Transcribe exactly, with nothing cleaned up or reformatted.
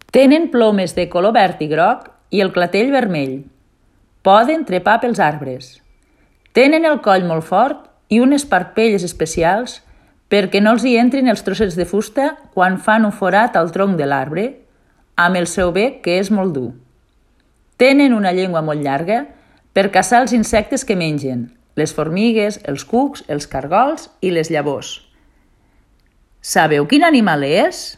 Tenen plomes de color verd i groc i el clatell vermell. Poden trepar pels arbres. Tenen el coll molt fort i unes parpelles especials perquè no els hi entrin els trossets de fusta quan fan un forat al tronc de l'arbre, amb el seu bec que és molt dur. Tenen una llengua molt llarga per caçar els insectes que mengen, les formigues, els cucs, els cargols i les llavors. Sabeu quin animal és?